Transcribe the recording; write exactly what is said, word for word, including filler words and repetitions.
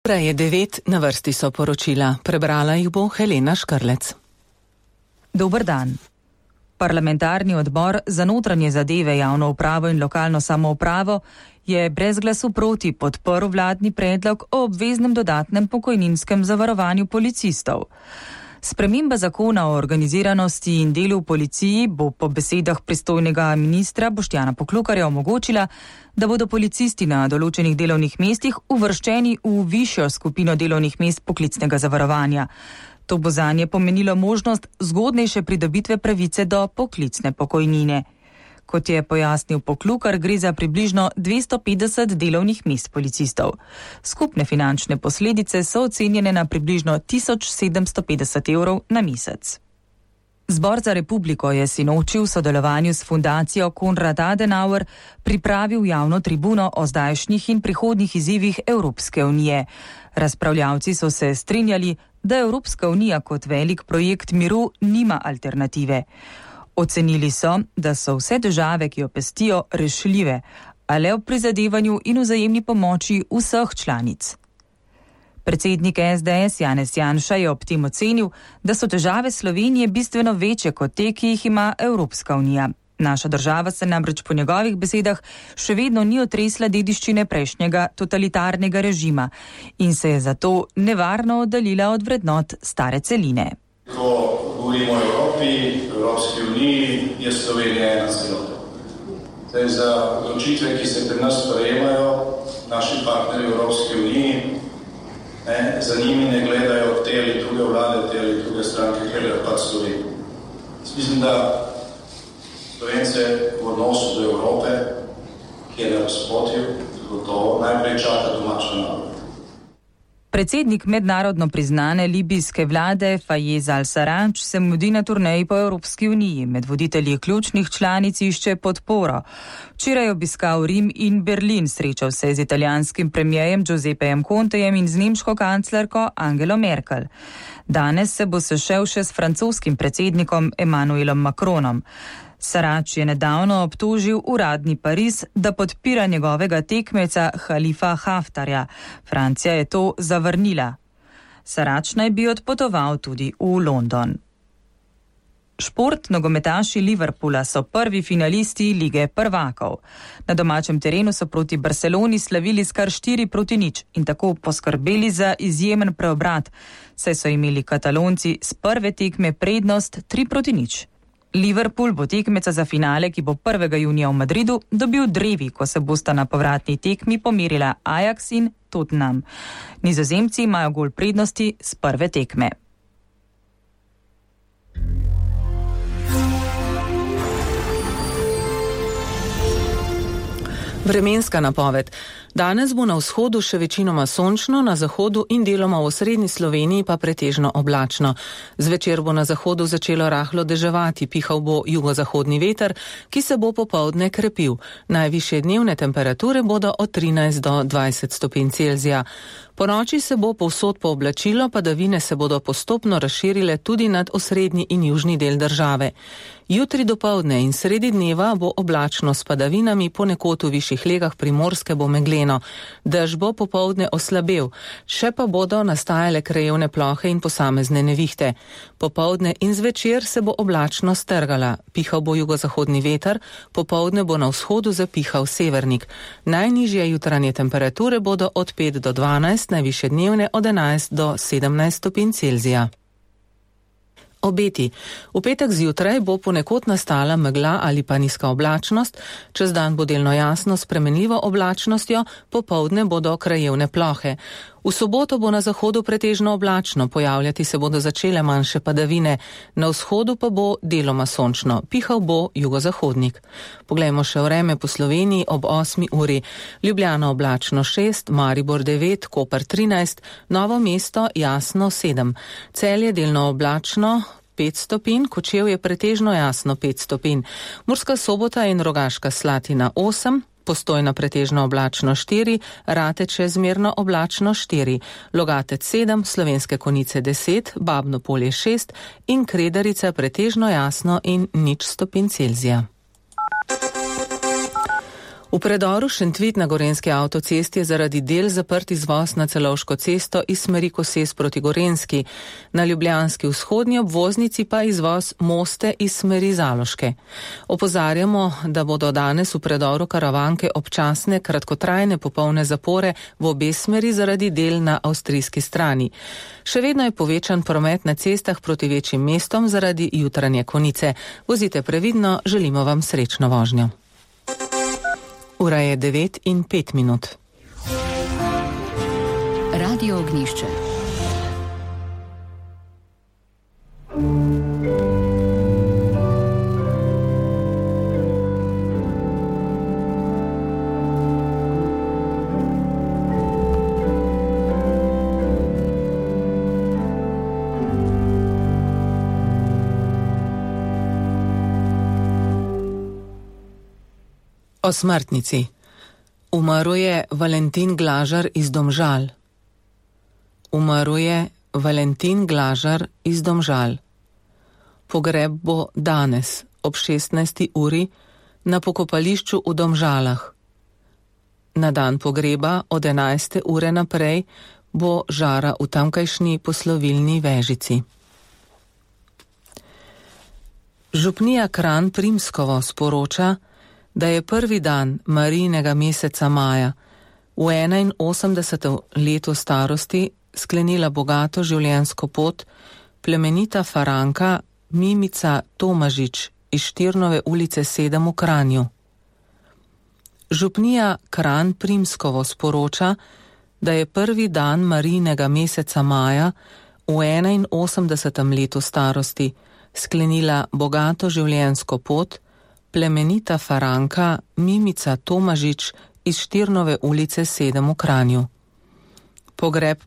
Prej je devet, na vrsti so poročila. Prebrala jih bo Helena Škrlec. Dober dan. Parlamentarni odbor za notranje zadeve, javno upravo in lokalno samoupravo je brez glasu proti podprl vladni predlog o obveznem dodatnem pokojninskem zavarovanju policistov. Sprememba zakona o organiziranosti in delu v policiji bo po besedah pristojnega ministra Boštjana Poklukarja omogočila, da bodo policisti na določenih delovnih mestih uvrščeni v višjo skupino delovnih mest poklicnega zavarovanja. To bo zanje pomenilo možnost zgodnejše pridobitve pravice do poklicne pokojnine. Kot je pojasnil Poklukar, gre za približno dvesto petdeset delovnih mest policistov. Skupne finančne posledice so ocenjene na približno tisoč sedemsto petdeset evrov na mesec. Zbor za republiko je sinoči v sodelovanju s fundacijo Konrad Adenauer pripravil javno tribuno o zdajšnjih in prihodnjih izzivih Evropske unije. Razpravljavci so se strinjali, da Evropska unija kot velik projekt miru nima alternative. Ocenili so, da so vse težave, ki jo pestijo, rešljive, a le ob prizadevanju in vzajemni pomoči vseh članic. Predsednik S D S Janez Janša je ob tem ocenil, da so težave Slovenije bistveno večje kot te, ki jih ima Evropska unija. Naša država se namreč po njegovih besedah še vedno ni otresla dediščine prejšnjega totalitarnega režima in se je zato nevarno oddaljila od vrednot stare celine. Ko govorimo o Evropi, Evropski uniji, je Slovenija ena celota. Zdaj, za odločitve, ki se pri nas sprejemajo, naši partnerji v Evropski uniji, ne, za njimi ne gledajo te ali druge vlade, te ali druge stranke, gledajo pa Slovenijo. Mislim, da Slovence v odnosu do Evrope, ki je na razpotju, gotovo najprej čaka domača narod. Predsednik mednarodno priznane libijske vlade Fayez al-Sarraj se mudi na turneji po Evropski uniji. Med voditelji ključnih članic išče podporo. Včeraj je obiskal Rim in Berlin, srečal se z italijanskim premijejem Giuseppejem Contejem in z nemško kanclerko Angelo Merkel. Danes se bo sešel še s francoskim predsednikom Emmanuelom Macronom. Sarraj je nedavno obtožil uradni Pariz, da podpira njegovega tekmeca Halifa Haftarja. Francija je to zavrnila. Sarraj naj bi odpotoval tudi v London. Šport nogometaši Liverpoola so prvi finalisti Lige prvakov. Na domačem terenu so proti Barceloni slavili s kar štiri proti nič in tako poskrbeli za izjemen preobrat, saj so imeli Katalonci s prve tekme prednost tri proti nič. Liverpool bo tekmeca za finale, ki bo prvega junija v Madridu, dobil drevi, ko se bosta na povratni tekmi pomerila Ajax in Tottenham. Nizozemci imajo gol prednosti z prve tekme. Vremenska napoved. Danes bo na vzhodu še večinoma sončno, na zahodu in deloma v osrednji Sloveniji pa pretežno oblačno. Zvečer bo na zahodu začelo rahlo deževati, pihal bo jugozahodni veter, ki se bo popoldne krepil. Najvišje dnevne temperature bodo od trinajst do dvajset stopinj Celzija. Po noči se bo povsod pooblačilo, padavine se bodo postopno razširile tudi nad osrednji in južni del države. Jutri dopoldne in sredi dneva bo oblačno s padavinami, ponekod v višjih legah Primorske bo megleno. Dež bo popoldne oslabel, še pa bodo nastajale krajevne plohe in posamezne nevihte. Popoldne in zvečer se bo oblačno strgala, pihal bo jugozahodni veter, popoldne bo na vzhodu zapihal severnik. Najnižje jutranje temperature bodo od pet do dvanajst, najvišje dnevne od enajst do sedemnajst stopinj Celzija. Obeti. V petek zjutraj bo ponekod nastala megla ali pa nizka oblačnost, čez dan bo delno jasno s spremenljivo oblačnostjo, popoldne bodo krajevne plohe. V soboto bo na zahodu pretežno oblačno, pojavljati se bodo začele manjše padavine, na vzhodu pa bo deloma sončno, pihal bo jugozahodnik. Poglejmo še vreme po Sloveniji ob osmi uri. Ljubljana oblačno šest, Maribor devet, Koper trinajst, Novo mesto jasno sedem, Celje delno oblačno pet stopinj, Kočevje pretežno jasno pet stopinj, Murska Sobota in Rogaška Slatina osem, Postojna pretežno oblačno štiri, Rateče zmerno oblačno štiri, Logatec sedem, Slovenske Konjice deset, Babno Polje šest in Kredarica pretežno jasno in nič stopinj Celzija. V predoru Šentvit na Gorenjski avtocesti je zaradi del zaprt izvoz na Celovško cesto iz smeri Koses proti Gorenjski, na ljubljanski vzhodni obvoznici pa izvoz Moste iz smeri Zaloške. Opozarjamo, da bodo danes v predoru Karavanke občasne kratkotrajne popolne zapore v obe smeri zaradi del na avstrijski strani. Še vedno je povečan promet na cestah proti večjim mestom zaradi jutranje konice. Vozite previdno, želimo vam srečno vožnjo. Ura je devet in pet minut. Radio Ognjišče. O smrtnici. Umrl je Valentin Glažar iz Domžal. Umrl je Valentin Glažar iz Domžal. Pogreb bo danes ob šestnajsti uri na pokopališču v Domžalah. Na dan pogreba od enajste ure naprej bo žara v tamkajšnji poslovilni Vežici. Župnija Kranj Primskovo sporoča, da je prvi dan Marijinega meseca maja v enainosemdesetem letu starosti sklenila bogato življenjsko pot plemenita Faranka Mimica Tomažič iz Štirnove ulice sedem v Kranju. Župnija Kranj Primskovo sporoča, da je prvi dan Marijinega meseca maja v enainosemdesetem letu starosti sklenila bogato življenjsko pot plemenita Faranka Mimica Tomažič iz Štirnove ulice sedem v Kranju. Pogreb